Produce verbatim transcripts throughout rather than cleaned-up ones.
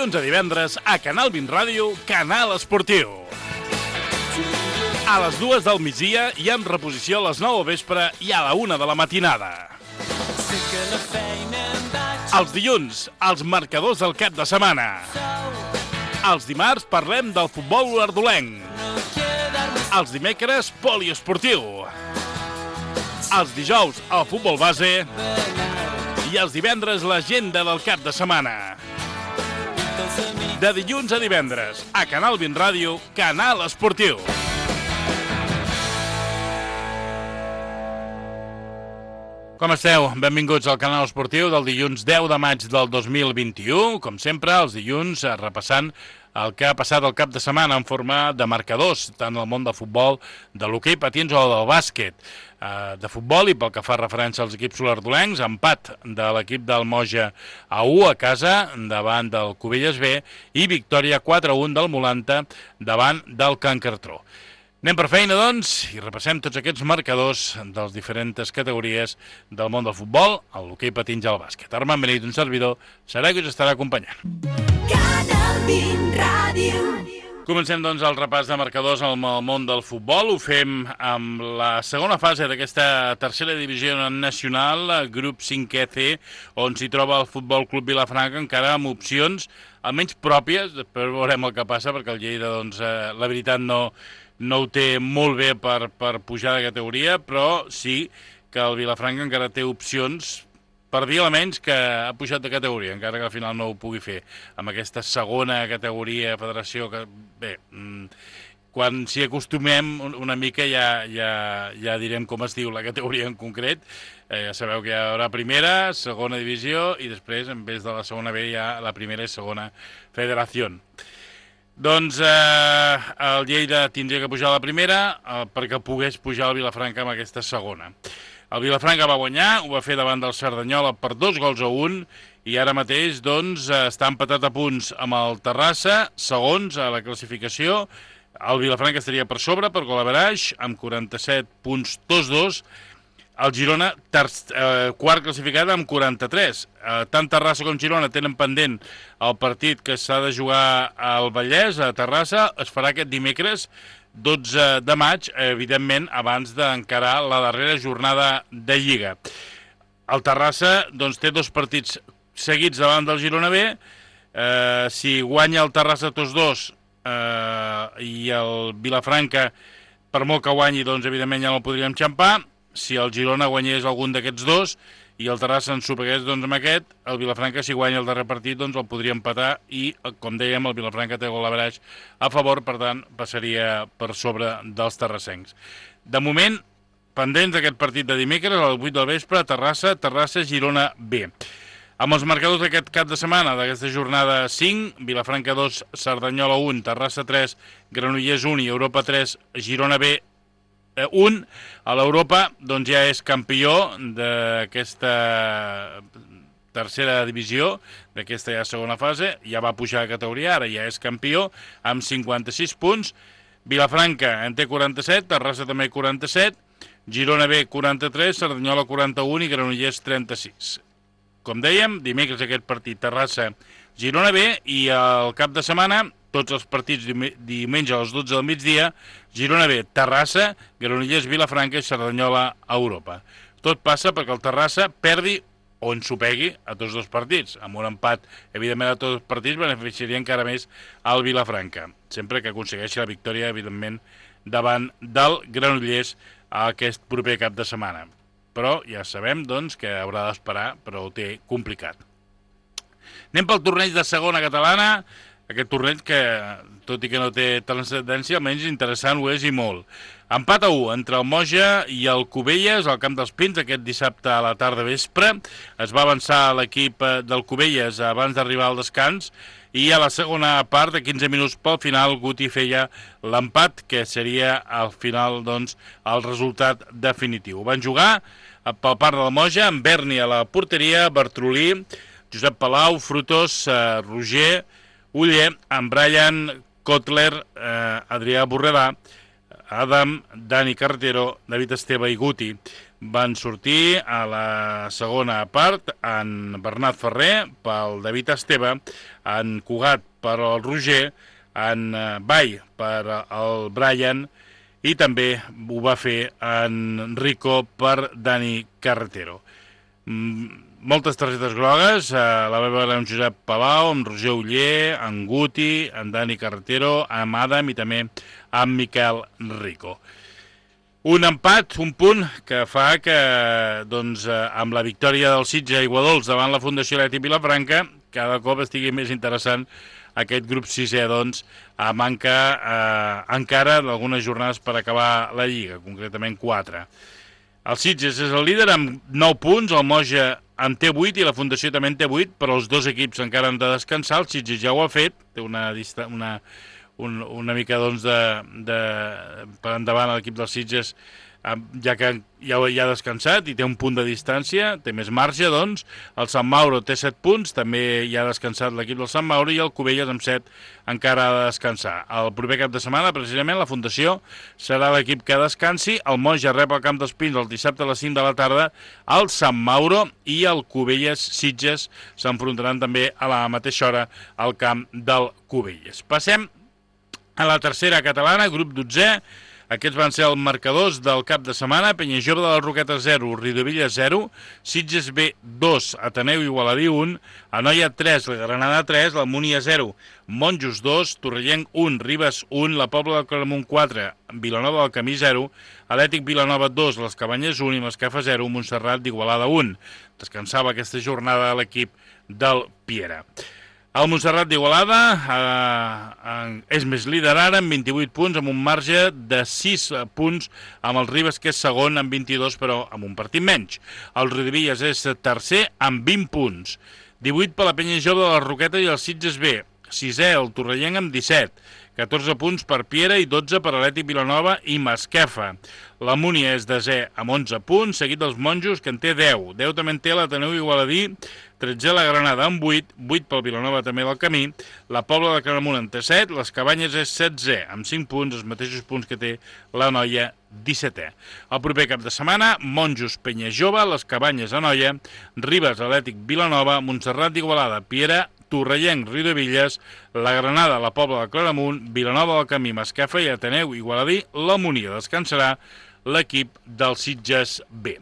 dilluns a divendres a Canal vint Ràdio, Canal Esportiu. A les dues del migdia i amb reposició a les nou al vespre i a la una de la matinada. Els dilluns, els marcadors del cap de setmana. Els dimarts parlem del futbol olordolenc. Els dimecres, poliesportiu. Els dijous, el futbol base. I els divendres, l'agenda del cap de setmana. De dilluns a divendres, a Canal vint Ràdio, Canal Esportiu. Com esteu? Benvinguts al Canal Esportiu del dilluns deu de maig del dos mil vint-i-u. Com sempre, els dilluns repassant el que ha passat el cap de setmana en forma de marcadors, tant al món del futbol, de l'hoquei patins o del bàsquet. De futbol, i pel que fa referència als equips olordolencs, empat de l'equip del Moja a u a casa davant del Cubelles B i victòria quatre a un del Molanta davant del Can Cartró. Anem per feina, doncs, i repassem tots aquests marcadors de les diferents categories del món del futbol, l'hoquei patins i el bàsquet. Armand Benit, un servidor, serà qui us estarà acompanyant. Canal vint Ràdio. Comencem, doncs, el repàs de marcadors al món del futbol. Ho fem amb la segona fase d'aquesta tercera divisió nacional, grup cinquè C, on s'hi troba el Futbol Club Vilafranca, encara amb opcions almenys pròpies. Després veurem el que passa, perquè el Lleida, doncs, eh, la veritat no... no ho té molt bé per, per pujar de categoria, però sí que el Vilafranca encara té opcions per dir almenys que ha pujat de categoria, encara que al final no ho pugui fer amb aquesta segona categoria federació que, bé, quan s'hi acostumem una mica ja, ja, ja direm com es diu la categoria en concret. Eh, ja sabeu que hi haurà primera, segona divisió i després, en vez de la segona B, hi ha la primera i segona federació. Doncs eh, el Lleida tindria que pujar a la primera eh, perquè pogués pujar el Vilafranca amb aquesta segona. El Vilafranca va guanyar, ho va fer davant del Cerdanyola per dos gols a un i ara mateix doncs, està empatat a punts amb el Terrassa, segons a la classificació. El Vilafranca estaria per sobre per gol average amb quaranta-set punts dos dos. El Girona, ter, eh, quart classificat amb quaranta-tres. Eh, tant Terrassa com Girona tenen pendent el partit que s'ha de jugar al Vallès, a Terrassa. Es farà aquest dimecres, dotze de maig, evidentment, abans d'encarar la darrera jornada de Lliga. El Terrassa doncs, té dos partits seguits davant del Girona B. Eh, si guanya el Terrassa tots dos eh, i el Vilafranca, per molt que guanyi, doncs, evidentment ja no el podríem xampar. Si el Girona guanyés algun d'aquests dos i el Terrassa en superés doncs, amb aquest, el Vilafranca, si guanya el darrer partit, doncs el podria empatar i, com dèiem, el Vilafranca té gol average a favor, per tant, passaria per sobre dels terrassencs. De moment, pendents d'aquest partit de dimecres, a les vuit del vespre, Terrassa, Terrassa, Girona B. Amb els marcadors d'aquest cap de setmana, d'aquesta jornada cinc, Vilafranca dos, Cerdanyola un, Terrassa tres, Granollers un i Europa tres, Girona B un, a l'Europa doncs ja és campió d'aquesta tercera divisió, d'aquesta ja segona fase, ja va pujar de categoria, ara ja és campió, amb cinquanta-sis punts. Vilafranca en té quaranta-set, Terrassa també quaranta-set, Girona B quaranta-tres, Cerdanyola quaranta-un i Granollers trenta-sis. Com dèiem, dimecres aquest partit Terrassa, Girona B i el cap de setmana tots els partits diumenge a les dotze del migdia, Girona B, Terrassa, Granollers, Vilafranca i Cerdanyola a Europa. Tot passa perquè el Terrassa perdi o ensopegui a tots dos partits. Amb un empat, evidentment, a tots els partits beneficiaria encara més al Vilafranca, sempre que aconsegueixi la victòria, evidentment, davant del Granollers aquest proper cap de setmana. Però ja sabem, doncs, que haurà d'esperar, però ho té complicat. Anem pel torneig de segona catalana. Aquest torneig que, tot i que no té transcendència, almenys interessant ho és i molt. Empat a u entre el Moja i el Cubelles al Camp dels Pins aquest dissabte a la tarda vespre. Es va avançar l'equip del Cubelles abans d'arribar al descans i a la segona part, de quinze minuts pel final, Guti feia l'empat, que seria al final doncs, el resultat definitiu. Van jugar pel part del Moja amb Berni a la porteria, Bertrolí, Josep Palau, Frutos, eh, Roger, Uller, amb Brian, Kotler, eh, Adrià Borredà, Adam, Dani Carretero, David Esteve i Guti. van sortir a la segona part en Bernat Ferrer pel David Esteve, en Cugat per el Roger, en Vall per el Brian i també ho va fer en Rico per Dani Carretero. Moltes targetes grogues, eh, la va veure en Josep Palau, amb Roger Uller, en Guti, en Dani Carretero, amb Adam i també amb Miquel Rico. Un empat, un punt, que fa que doncs, eh, amb la victòria del Sitges Aiguadols davant la Fundació Atlètic Vilafranca, cada cop estigui més interessant aquest grup sisè, doncs, a manca eh, encara d'algunes jornades per acabar la Lliga, concretament quatre. El Sitges és el líder amb nou punts, el Moja en té vuit i la Fundació també en té vuit, però els dos equips encara han de descansar. El Sitges ja ho ha fet, té una, una, un, una mica doncs, de, de, per endavant l'equip dels Sitges, ja que ja, ja ha descansat i té un punt de distància, té més marge, doncs. El Sant Mauro té set punts, també ja ha descansat l'equip del Sant Mauro, i el Cubelles amb set encara ha de descansar. El proper cap de setmana, precisament, la Fundació serà l'equip que descansi. El Moja rep al Camp dels Pins el dissabte a les cinc de la tarda, el Sant Mauro i el Cubelles Sitges s'enfrontaran també a la mateixa hora al camp del Cubelles. Passem a la tercera catalana, grup dotzè. Aquests van ser els marcadors del cap de setmana. Penyajove de la Roqueta zero, Riudovilla zero, Sitges B dos, Ateneu Igualadí un, Anoia tres, la Granada tres, la Múnia zero, Monjos dos, Torrellenc un, Ribes un, la Pobla del Claramunt quatre, Vilanova del Camí zero, Atlètic Vilanova dos, les Cabanyes un i Masquefa zero, Montserrat d'Igualada un. Descansava aquesta jornada l'equip del Piera. El Montserrat d'Igualada eh, és més líder ara amb vint-i-vuit punts, amb un marge de sis punts, amb el Ribes, que és segon, amb vint-i-dos, però amb un partit menys. El Riudevilles és tercer, amb vint punts. divuit per la Penyajove de la Roqueta i el Sitges B. Sisè, el Torrellenc, amb disset. catorze punts per Piera i dotze per Atlètic Vilanova i Masquefa. La Múnia és desè amb onze punts, seguit dels Monjos, que en té deu. deu també en té l'Ateneu Igualadí, tretze la Granada amb vuit, vuit pel Vilanova també del Camí, la Pobla de Claramunt en té set, les Cabanyes és setzè, amb cinc punts, els mateixos punts que té la Noia, dissetè. El proper cap de setmana, Monjos Penyajove, les Cabanyes a Noia, Ribes Atlètic Vilanova, Montserrat d'Igualada, Piera, Torrellenc, Riudevilles, la Granada, la Pobla de Claramunt, Vilanova del Camí, Masquefa i Ateneu Igualadí. La Múnia descansarà l'equip del Sitges B.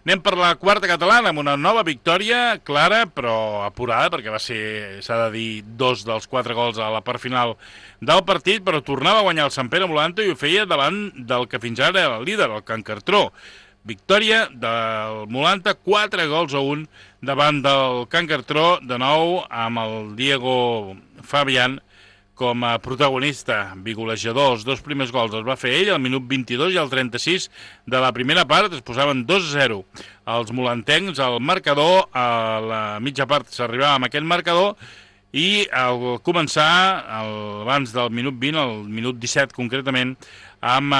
Anem per la quarta catalana amb una nova victòria clara però apurada, perquè va ser, s'ha de dir, dos dels quatre gols a la part final del partit, però tornava a guanyar el Sant Pere Molanto i ho feia davant del que fins ara era el líder, el Can Cartró. Victòria del Molanta, quatre gols a un davant del Can Cartró, de nou amb el Diego Fabián com a protagonista, bigolejador. Els dos primers gols els va fer ell, al minut vint-i-dos i al trenta-sis de la primera part. Es posaven dos a zero els molantencs. El marcador, a la mitja part s'arribava amb aquest marcador, i al començar, abans del minut vint, al minut disset concretament, amb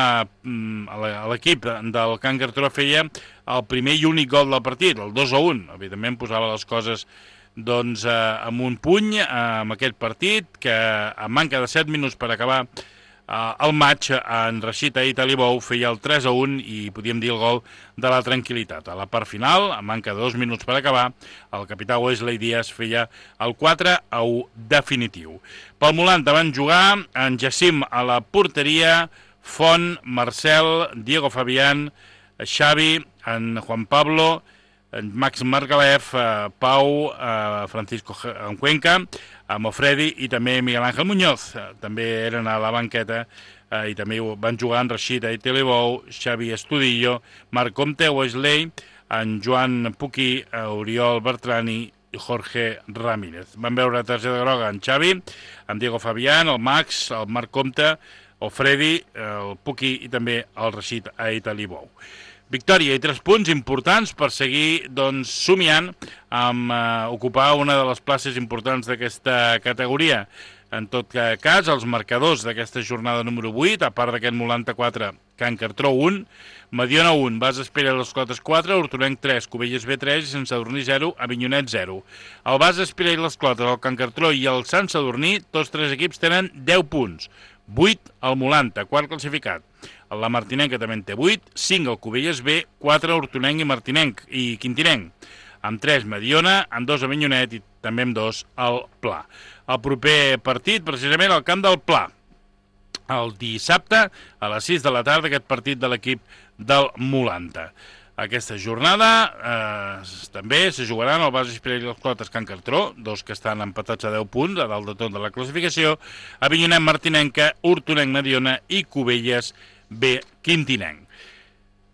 l'equip del Can Cartró feia el primer i únic gol del partit, el dos a un. Evidentment posava les coses doncs, eh, amb un puny eh, amb aquest partit, que a manca de set minuts per acabar eh, el maig, en Rashid Ait Alibou feia el tres a un i podíem dir el gol de la tranquil·litat. A la part final, a manca de dos minuts per acabar, el capità Wesley Díaz feia el quatre a u definitiu. Pel Molanta van jugar en Jacim a la porteria, Font, Marcel, Diego Fabián, Xavi, en Juan Pablo, en Max Margalef, eh, Pau, eh, Francisco en Cuenca, eh, Mofredi i també Miguel Ángel Muñoz. Eh, també eren a la banqueta eh, i també van jugar en Rashid Ait Alibou, Xavi Estudillo, Marc Comte, Wesley, en Joan Puquí, eh, Oriol Bertrani i Jorge Ramírez. Van veure targeta groga en Xavi, en Diego Fabián, el Max, el Marc Comte, el Freddy, el Puquí i també el Rashid Ait Alibou. Victòria i tres punts importants per seguir doncs, somiant amb eh, ocupar una de les places importants d'aquesta categoria. En tot cas, els marcadors d'aquesta jornada número vuit, a part d'aquest Molanta quatre, Can Cartró un, Mediona un, Bas Espera i les Clotes quatre, Hortolenc tres, Cubelles B tres i Sant Sadurní zero, Avinyonet zero. El Bas Espera i les Clotes, el Can Cartró i el Sant Sadurní, tots tres equips tenen deu punts. vuit al Molanta, quart classificat. la Martinenca també en té vuit, cinc el Cubelles B, quatre Hortonenc i Martinenc i Quintinenc, amb tres Mediona, amb dos Avinyonet i també amb dos el Pla. El proper partit, precisament, al camp del Pla. El dissabte, a les sis de la tarda, aquest partit de l'equip del Molanta. Aquesta jornada eh, també se jugaran el Bases Pirell i els Clotes Can Cartró, dos que estan empatats a deu punts, a dalt de tot de la classificació, Avinyonet Martinenca, Hortonenc Mediona i Cubelles B Quintinenc.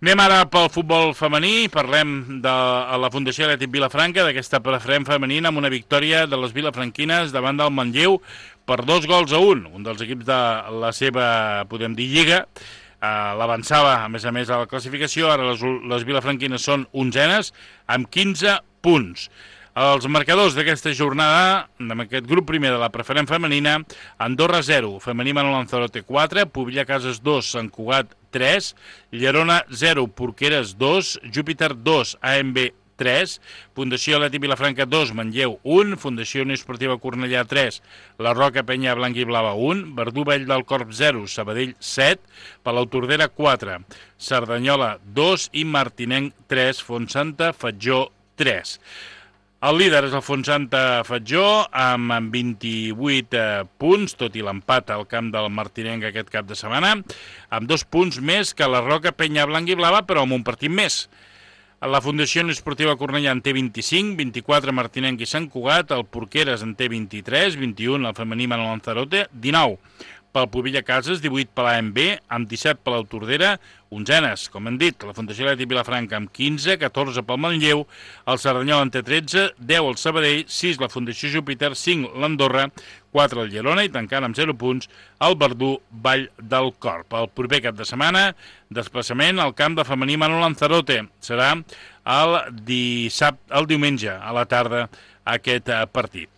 Anem ara pel futbol femení, parlem de la Fundació Atlètic Vilafranca, d'aquesta preferent femenina amb una victòria de les vilafranquines davant del Manlleu per dos gols a un. Un dels equips de la seva, podem dir, lliga, eh, l'avançava, a més a més, a la classificació. Ara les, les vilafranquines són onzenes, amb quinze punts. Els marcadors d'aquesta jornada, amb aquest grup primer de la preferent femenina, Andorra zero, Femení Manol Lanzarote quatre, Pobilla Cases dos, Sant Cugat tres, Llerona zero, Porqueres dos, Júpiter dos, A M B tres, Fundació Atlètic Vilafranca dos, Manlleu un, Fundació Unió Esportiva Cornellà tres, La Roca Penya Blanca i Blava un, Verdú Vall del Corp zero, Sabadell set, Palau Tordera quatre, Cerdanyola dos i Martinenc tres, Fontsanta Fatjó tres. El líder és el Fontsanta Fatjó amb vint-i-vuit eh, punts, tot i l'empat al camp del Martinenc aquest cap de setmana, amb dos punts més que la Roca Penya Blanca i Blava, però amb un partit més. La Fundació Esportiva Cornellà en té vint-i-cinc, vint-i-quatre Martinenc i Sant Cugat, el Porqueres en té vint-i-tres, vint-i-un el Femení Manol Lanzarote, dinou pel Pobilla Cases, divuit per l'A M B, amb disset per la Tordera, onzenes, com hem dit, la Fundació Atlètic Vilafranca amb quinze, catorze pel Manlleu, el Cerdanyola en té tretze, deu el Sabadell, sis la Fundació Júpiter, cinc l'Andorra, quatre el Llerona i tancant amb zero punts el Verdú Vall del Corp. El proper cap de setmana, desplaçament al camp de Femení Manol Lanzarote. Serà el, dissabte, el diumenge a la tarda aquest partit.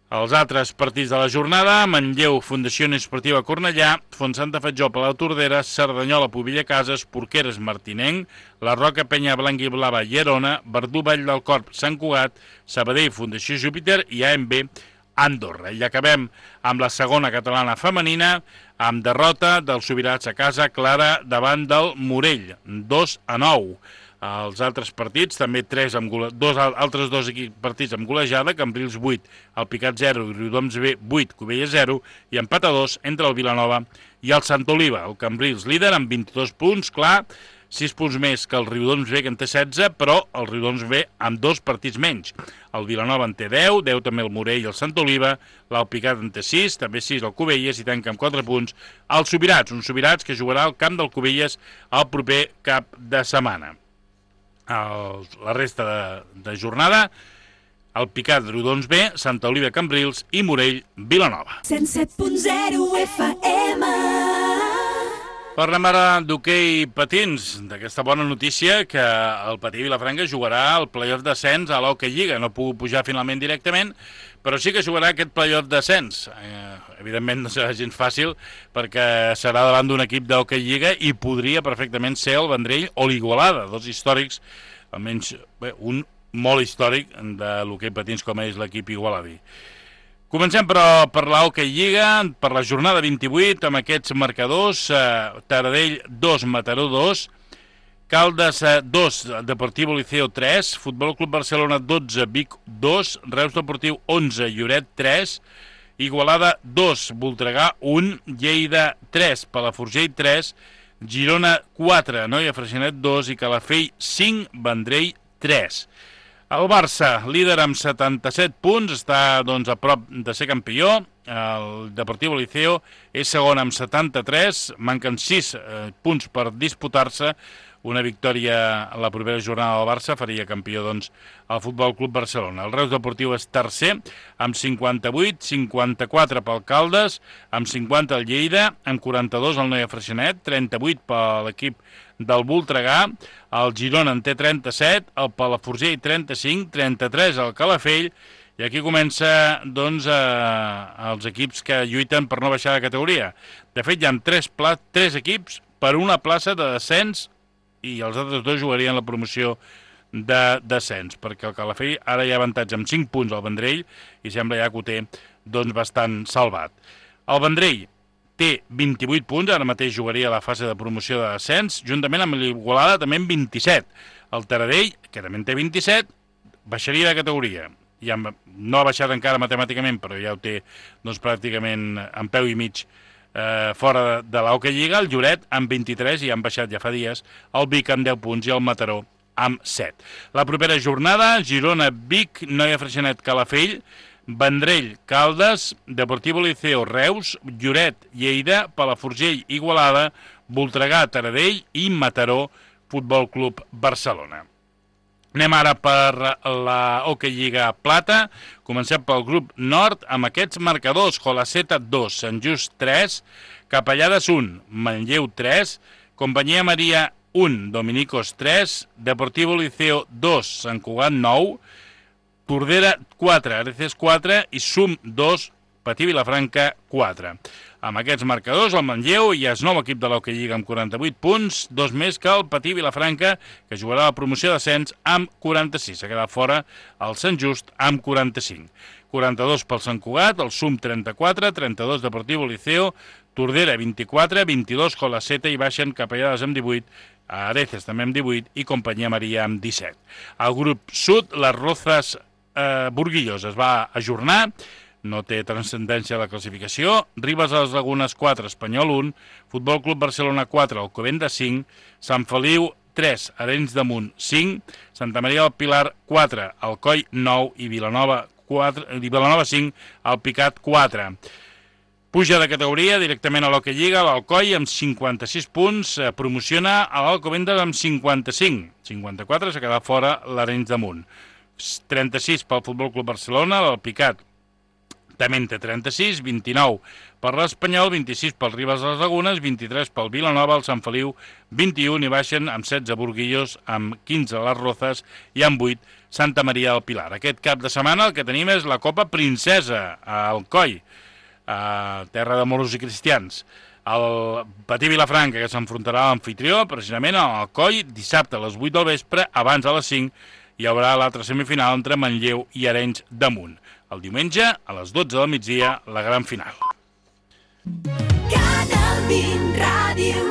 Els altres partits de la jornada, Manlleu, Fundació Esportiva Cornellà, Fontsanta Fatjó, Palau Tordera, Cerdanyola, Pobilla Cases, Porqueres, Martinenc, La Roca Penya Blanca i Blava, Llerona, Verdú Vall del Corp, Sant Cugat, Sabadell, Fundació Júpiter i A M B, Andorra. I acabem amb la segona catalana femenina, amb derrota dels Sobirats a casa clara davant del Morell, dos a nou. Els altres partits, també tres amb gole... dos, altres dos partits amb golejada, Cambrils vuit, el Picat zero i Riudoms B vuit, Cubelles zero, i empat a dos entre el Vilanova i el Sant Oliva. El Cambrils líder amb vint-i-dos punts, clar, sis punts més que el Riudoms B, que en té setze, però el Riudoms B amb dos partits menys. El Vilanova en té deu, deu també el Morell i el Sant Oliva, l'Alpicat en té sis, també sis el Cubelles i tanca amb quatre punts els Sobirats, uns Sobirats que jugarà al camp del Cubelles el proper cap de setmana. El, la resta de, de jornada, el Picat Riudoms B, Santa Oliva Cambrils i Morell Vilanova. cent set punt zero F M. Parlem ara d'hoquei patins, d'aquesta bona notícia que el Patí Vilafranca jugarà el playoff d'ascens a l'Hockey Lliga. No ha pogut pujar finalment directament, però sí que jugarà aquest playoff d'ascens. Eh, evidentment no serà gens fàcil perquè serà davant d'un equip d'Hockey Lliga i podria perfectament ser el Vendrell o l'Igualada, dos històrics, almenys bé, un molt històric de l'hoquei patins com és l'equip igualadí. Comencem, però, per la Hockey Lliga, per la jornada vint-i-vuit, amb aquests marcadors, eh, Taradell dos, Mataró dos, Caldes dos, Deportivo Liceo tres, Futbol Club Barcelona dotze, Vic dos, Reus Deportiu onze, Lloret tres, Igualada dos, Voltregà un, Lleida tres, Palafrugell tres, Girona quatre, Noia Freixenet dos i Calafell cinc, Vendrell tres. El Barça, líder amb setanta-set punts, està doncs, a prop de ser campió. El Deportivo Liceo és segon amb setanta-tres, manquen sis eh, punts per disputar-se. Una victòria a la propera jornada del Barça faria campió doncs, el Futbol Club Barcelona. El Reus Deportiu és tercer amb cinquanta-vuit, cinquanta-quatre pel Caldes, amb cinquanta el Lleida, amb quaranta-dos el Noia Freixenet, trenta-vuit per l'equip del Voltregà, el Girona en té trenta-set, el Palafrugell trenta-cinc, trenta-tres el Calafell, i aquí comença doncs, eh, els equips que lluiten per no baixar de categoria. De fet, hi ha tres, pla tres equips per una plaça de descens i els altres dos jugarien la promoció de descens, perquè el Calafell ara hi ha avantatge amb cinc punts al Vendrell i sembla ja que ho té doncs, bastant salvat. El Vendrell té vint-i-vuit punts, ara mateix jugaria la fase de promoció de descens, juntament amb l'Igualada també amb vint-i-set. El Taradell, que també en té vint-i-set, baixaria de categoria. Ja no ha baixat encara matemàticament, però ja ho té doncs, pràcticament en peu i mig eh, fora de, de l'Hockey Lliga. El Lloret amb vint-i-tres, i han baixat ja fa dies, el Vic amb deu punts i el Mataró amb set. La propera jornada, Girona, Vic, Noia Freixenet, Calafell, Vendrell, Caldes, Deportivo Liceo, Reus, Lloret, Lleida, Palafrugell, Igualada, Voltregà, Taradell i Mataró, Futbol Club Barcelona. Anem ara per la Hockey Lliga Plata. Comencem pel grup nord amb aquests marcadors. Jolaceta dos, Sant Just tres, Capellades un, Manlleu tres, Companyia Maria un, Dominicos tres, Deportivo Liceo dos, Sant Cugat nou, Tordera quatre, Areces quatre i Sum dos, Patí Vilafranca quatre. Amb aquests marcadors, el Manlleu ja és nou equip de l'Hockey Lliga amb quaranta-vuit punts, dos més que el Patí Vilafranca, que jugarà la promoció d'ascens amb quaranta-sis. S'ha quedat fora el Sant Just amb quaranta-cinc. quaranta-dos pel Sant Cugat, el Sum trenta-quatre, trenta-dos Deportivo Liceo, Tordera vint-i-quatre, vint-i-dos Jolaceta i baixen Capellades amb divuit, Areces també amb divuit i Companyia Maria amb disset. Al grup sud, les Rozas eh, Burguillos es va ajornar, no té transcendència a la classificació. Ribes a les Lagunes quatre, Espanyol un, Futbol Club Barcelona quatre, Alcobendas cinc, Sant Feliu tres, Arenys de Munt cinc, Santa Maria del Pilar quatre, Alcoi nou i Vilanova quatre, i Vilanova cinc, Alpicat quatre. Puja de categoria directament a l'Hockey Lliga, l'Alcoi amb cinquanta-sis punts, eh, promociona a l'Alcobendas amb cinquanta-cinc. cinquanta-quatre s'ha quedat fora l'Arenys de Munt. trenta-sis pel Futbol Club Barcelona, l'Alpicat també en té trenta-sis, vint-i-nou per l'Espanyol, vint-i-sis pel Ribes de les Lagunes, vint-i-tres pel Vilanova, el Sant Feliu, vint-i-un i baixen amb setze Burguillos, amb quinze les Rozas i amb vuit Santa Maria del Pilar. Aquest cap de setmana el que tenim és la Copa Princesa a Alcoi, a terra de moros i cristians. El Patí Vilafranca, que s'enfrontarà a l'anfitrió, precisament a Alcoi, dissabte a les vuit del vespre, abans a les cinc, hi haurà l'altra semifinal entre Manlleu i Arenys de Munt. El diumenge, a les dotze del migdia, la gran final. Canal vint Ràdio.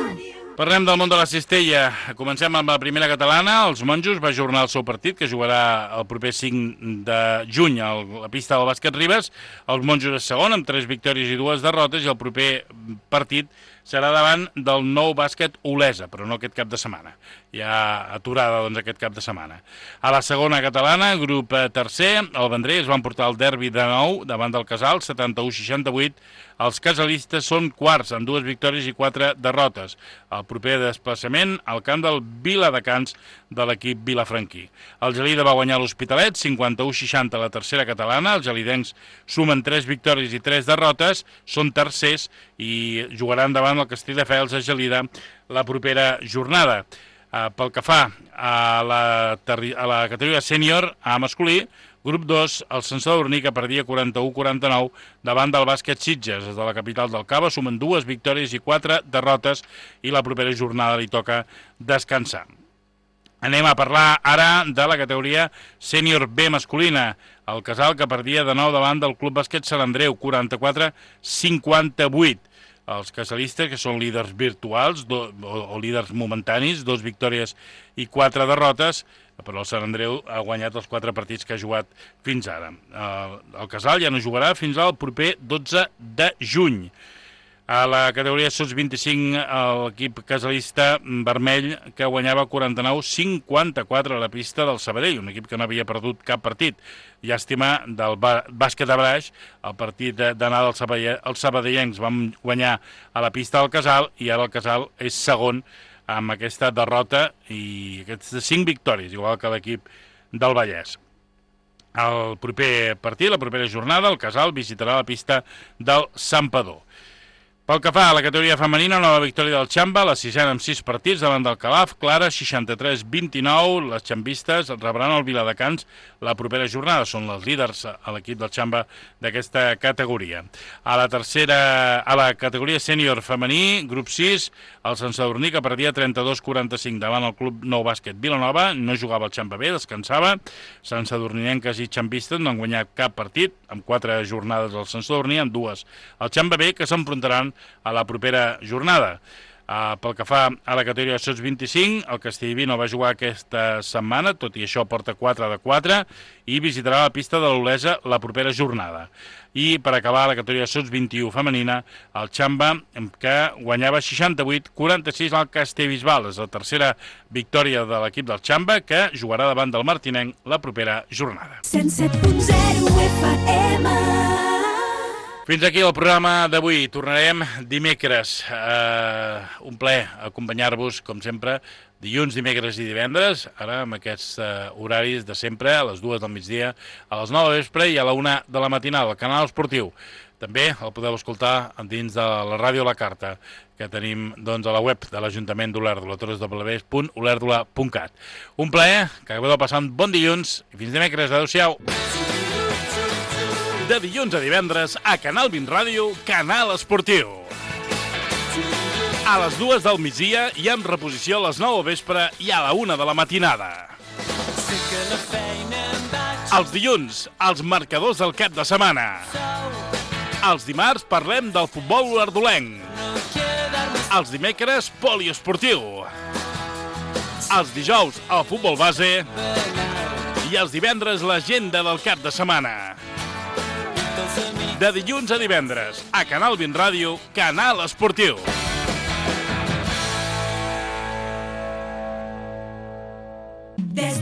Parlem del món de la cistella. Comencem amb la primera catalana. Els Monjos va ajornar el seu partit, que jugarà el proper cinc de juny a la pista del Bàsquet Ribes. Els Monjos és segon, amb tres victòries i dues derrotes, i el proper partit serà davant del Nou Bàsquet Olesa, però no aquest cap de setmana. Hi ha aturada, doncs, aquest cap de setmana. A la segona catalana, grup tercer, el Vendrell es van portar el derbi de nou davant del Casal, setanta-u seixanta-vuit. Els casalistes són quarts, amb dues victòries i quatre derrotes. El proper desplaçament al camp del Viladecans de l'equip vilafranquí. El Gelida va guanyar l'Hospitalet, cinquanta-u seixanta a la tercera catalana. Els gelidencs sumen tres victòries i tres derrotes, són tercers i jugaran davant el Castelldefels a Gelida la propera jornada. Uh, pel que fa a la, a la categoria sènior a masculí, grup dos, el Sant Sadurní, que perdia quaranta-u quaranta-nou davant del Bàsquet Sitges. Des de la capital del Cava sumen dues victòries i quatre derrotes i la propera jornada li toca descansar. Anem a parlar ara de la categoria sènior B masculina. El Casal, que perdia de nou davant del Club Bàsquet Sant Andreu, quaranta-quatre cinquanta-vuit. Els casalistes, que són líders virtuals do, o, o líders momentanis, dos victòries i quatre derrotes, però el Sant Andreu ha guanyat els quatre partits que ha jugat fins ara. El, el Casal ja no jugarà fins al proper dotze de juny. A la categoria sots vint-i-cinc, l'equip casalista vermell, que guanyava quaranta-nou cinquanta-quatre a la pista del Sabadell, un equip que no havia perdut cap partit. Llàstima del bàsquet de Braix, el partit d'anada els sabadellencs van guanyar a la pista del Casal i ara el Casal és segon amb aquesta derrota i aquestes cinc victòries, igual que l'equip del Vallès. El proper partit, la propera jornada, el Casal visitarà la pista del Santpedor. Pel que fa a la categoria femenina, nova victòria del Xamba, la sisena amb sis partits davant del Calaf, Clara, seixanta-tres vint-i-nou. Les xambistes rebran el Viladecans la propera jornada. Són les líders a l'equip del Xamba d'aquesta categoria. A la tercera, a la categoria sènior femení, grup sis, el Sant Sadurní, que perdia trenta-dos quaranta-cinc davant el Club Nou Bàsquet Vilanova, no jugava el Xamba B, descansava. Sant Sadurninenques i xambistes no han guanyat cap partit, amb quatre jornades al Sant Sadurní, amb dues el Xamba B, que s'enfrontaran a la propera jornada. Uh, pel que fa a la categoria sots vint-i-cinc, el Castellví no va jugar aquesta setmana, tot i això porta quatre de quatre, i visitarà la pista de l'Olesa la propera jornada. I per acabar la categoria sots vint-i-u femenina, el Xamba, que guanyava seixanta-vuit a quaranta-sis al Castellbisbal. És la tercera victòria de l'equip del Xamba, que jugarà davant del Martinenc la propera jornada. cent set punt zero F M. Fins aquí el programa d'avui. Tornarem dimecres. Uh, un plaer acompanyar-vos, com sempre, dilluns, dimecres i divendres, ara amb aquests uh, horaris de sempre, a les dues del migdia, a les nou de vespre i a la una de la matinada, al canal esportiu. També el podeu escoltar dins de la ràdio La Carta, que tenim doncs, a la web de l'Ajuntament d'Olèrdola, w w w punt olèrdola punt cat. Un plaer, que acabeu de passar un bon dilluns i fins dimecres. Adéu-siau. De dilluns a divendres, a Canal vint Ràdio, Canal Esportiu. A les dues del migdia i amb reposició a les nou del vespre i a la una de la matinada. Els dilluns, els marcadors del cap de setmana. Els dimarts parlem del futbol olèrdolenc. Els dimecres, poliesportiu. Els dijous, el futbol base. I els divendres, l'agenda del cap de setmana. De dilluns a divendres, a Canal vint Ràdio, Canal Esportiu. Des